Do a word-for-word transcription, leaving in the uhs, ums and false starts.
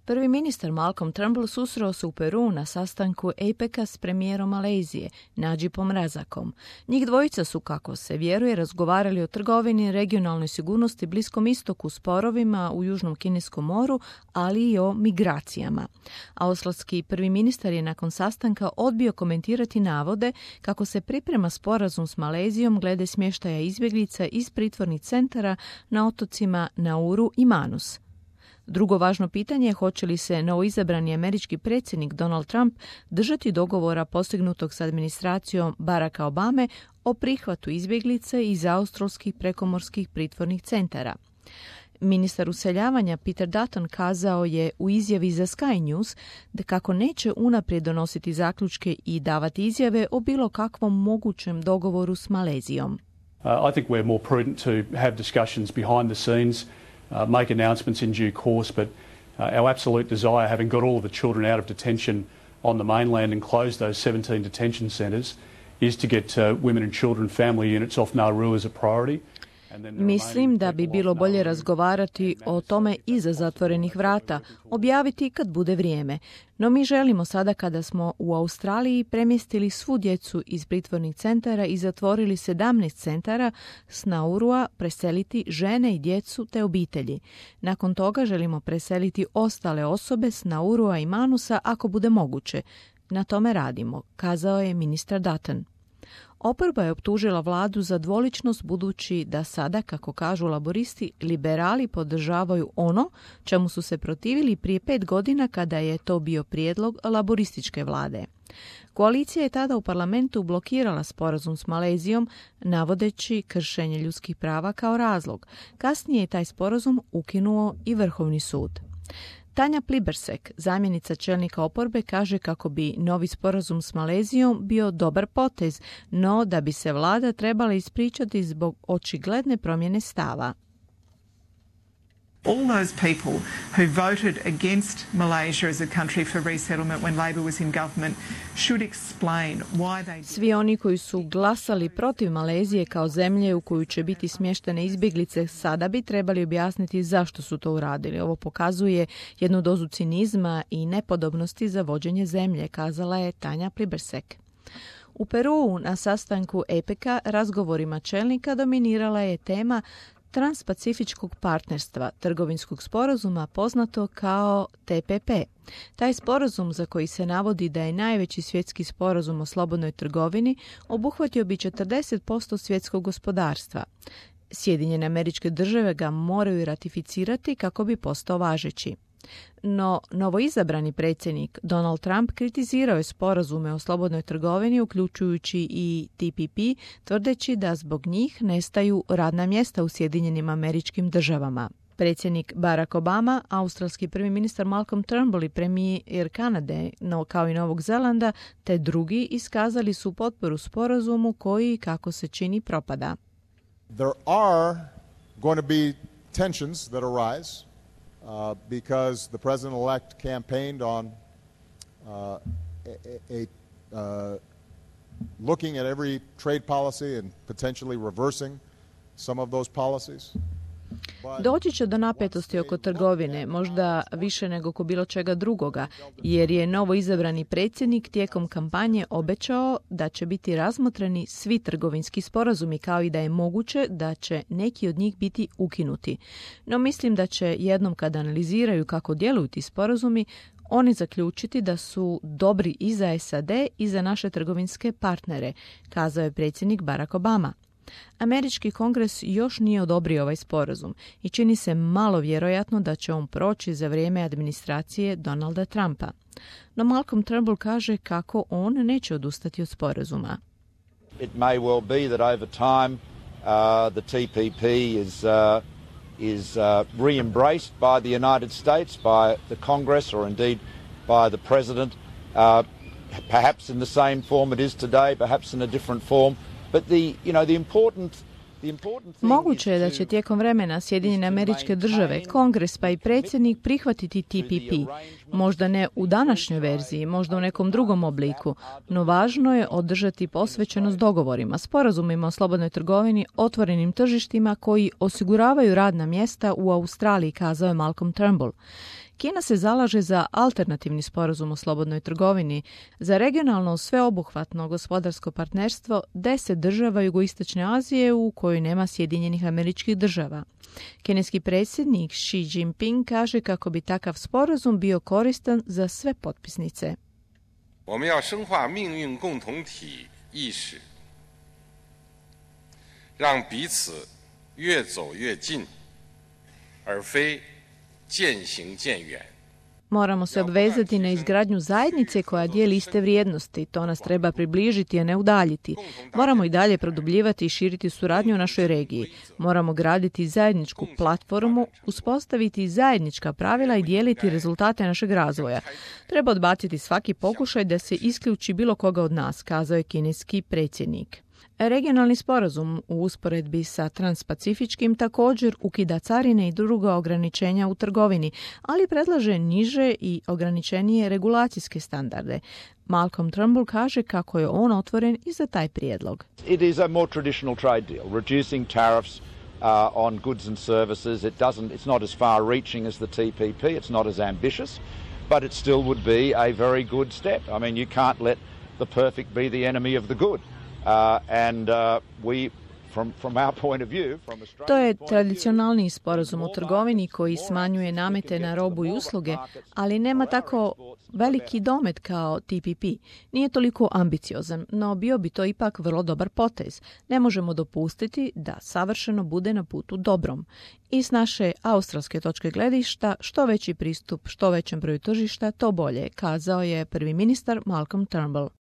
Prvi ministar Malcolm Turnbull susreo se u Peruu na sastanku APEC-a s premijerom Malezije, Nadžipom Razakom. Njih dvojica su, kako se vjeruje, razgovarali o trgovini, regionalnoj sigurnosti, Bliskom istoku, sporovima u Južnom Kineskom moru, ali i o migracijama. Australski prvi ministar je nakon sastanka odbio komentirati navode kako se priprema sporazum s Malezijom glede smještaja izbjeglica iz pritvornih centara na otocima Nauru i Manus. Drugo važno pitanje je hoće li se novoizabrani američki predsjednik Donald Trump držati dogovora postignutog s administracijom Baracka Obame o prihvatu izbjeglica iz australskih prekomorskih pritvornih centara. Ministar useljavanja Peter Dutton kazao je u izjavi za Sky News da kako neće unaprijed donositi zaključke i davati izjave o bilo kakvom mogućem dogovoru s Malezijom. Uh, I think we're more prudent to have discussions behind the scenes, uh, make announcements in due course, but uh, our absolute desire, having got all of the children out of detention on the mainland and closed those seventeen detention centres, is to get uh, women and children family units off Nauru as a priority. Mislim da bi bilo bolje razgovarati o tome iza zatvorenih vrata, objaviti kad bude vrijeme. No mi želimo sada, kada smo u Australiji premjestili svu djecu iz pritvornih centara i zatvorili sedamnaest centara s Naurua, preseliti žene i djecu te obitelji. Nakon toga želimo preseliti ostale osobe s Naurua i Manusa ako bude moguće. Na tome radimo, kazao je ministar Dutton. Oporba je optužila vladu za dvoličnost budući da sada, kako kažu laboristi, liberali podržavaju ono čemu su se protivili prije pet godina kada je to bio prijedlog laborističke vlade. Koalicija je tada u parlamentu blokirala sporazum s Malezijom, navodeći kršenje ljudskih prava kao razlog. Kasnije je taj sporazum ukinuo i Vrhovni sud. Tanja Plibersek, zamjenica čelnika oporbe, kaže kako bi novi sporazum s Malezijom bio dobar potez, no da bi se vlada trebala ispričati zbog očigledne promjene stava. All those people who voted against Malaysia as a country for resettlement when Labor was in government should explain why they... Svi oni koji su glasali protiv Malezije kao zemlje u koju će biti smještene izbjeglice sada bi trebali objasniti zašto su to uradili. Ovo pokazuje jednu dozu cinizma i nepodobnosti za vođenje zemlje, kazala je Tanja Plibersek. U Peruu na sastanku APEC-a razgovorima čelnika dominirala je tema Transpacifičkog partnerstva, trgovinskog sporazuma poznato kao T P P. Taj sporazum, za koji se navodi da je najveći svjetski sporazum o slobodnoj trgovini, obuhvatio bi četrdeset posto svjetskog gospodarstva. Sjedinjene Američke Države ga moraju ratificirati kako bi postao važeći. No, novoizabrani predsjednik Donald Trump kritizirao je sporazume o slobodnoj trgovini, uključujući i T P P, tvrdeći da zbog njih nestaju radna mjesta u Sjedinjenim Američkim Državama. Predsjednik Barack Obama, australski prvi ministar Malcolm Turnbull i premijer Kanade, no, kao i Novog Zelanda, te drugi iskazali su potporu sporazumu koji, kako se čini, propada. There are going to be tensions that arise. Uh, because the president-elect campaigned on uh, a, a, a uh, looking at every trade policy and potentially reversing some of those policies. Doći će do napetosti oko trgovine, možda više nego oko bilo čega drugoga, jer je novo izabrani predsjednik tijekom kampanje obećao da će biti razmotreni svi trgovinski sporazumi, kao i da je moguće da će neki od njih biti ukinuti. No mislim da će jednom kada analiziraju kako djeluju ti sporazumi, oni zaključiti da su dobri i za S A D i za naše trgovinske partnere, kazao je predsjednik Barack Obama. Američki kongres još nije odobrio ovaj sporazum i čini se malo vjerojatno da će on proći za vrijeme administracije Donalda Trumpa. No Malcolm Turnbull kaže kako on neće odustati od sporazuma. It may well be that over time uh, the T P P is uh, is uh, re-embraced by the United States, by the Congress, or indeed by the President, uh, perhaps in the same form it is today, perhaps in a different form. But the, you know, the important, the important thing Moguće je da će tijekom vremena Sjedinjene Američke Države, Kongres pa i predsjednik prihvatiti T P P. Možda ne u današnjoj verziji, možda u nekom drugom obliku, no važno je održati posvećenost dogovorima, sporazumima o slobodnoj trgovini, otvorenim tržištima koji osiguravaju radna mjesta u Australiji, kazao je Malcolm Turnbull. Kina se zalaže za alternativni sporazum o slobodnoj trgovini, za regionalno sveobuhvatno gospodarsko partnerstvo deset država jugoistočne Azije u kojoj nema Sjedinjenih Američkih Država. Kineski predsjednik Xi Jinping kaže kako bi takav sporazum bio koristan za sve potpisnice. 我们要深化命运共同体意识，让彼此越走越近，而非渐行渐远。 Moramo se obvezati na izgradnju zajednice koja dijeli iste vrijednosti. To nas treba približiti, a ne udaljiti. Moramo i dalje produbljivati i širiti suradnju u našoj regiji. Moramo graditi zajedničku platformu, uspostaviti zajednička pravila i dijeliti rezultate našeg razvoja. Treba odbaciti svaki pokušaj da se isključi bilo koga od nas, kazao je kineski predsjednik. Regionalni sporazum u usporedbi sa transpacifičkim također ukida carine i druga ograničenja u trgovini, ali predlaže niže i ograničenije regulacijske standarde. Malcolm Turnbull kaže kako je on otvoren i za taj prijedlog. It is a more traditional trade deal, reducing tariffs uh, on goods and services. It doesn't, it's not as far-reaching as the T P P. It's not as ambitious, but it still would be a very good step. I mean, you can't let the perfect be the enemy of the good. Uh, and uh, we, from, from our point of view, from Australia's To je point of view, tradicionalni sporazum o trgovini koji smanjuje namete na robu i usluge, ali nema tako veliki domet kao T P P. Nije toliko ambiciozan, no bio bi to ipak vrlo dobar potez. Ne možemo dopustiti da savršeno bude na putu dobrom. I s naše australske točke gledišta, što veći pristup što većem broju tržišta, to bolje, kazao je prvi ministar Malcolm Turnbull.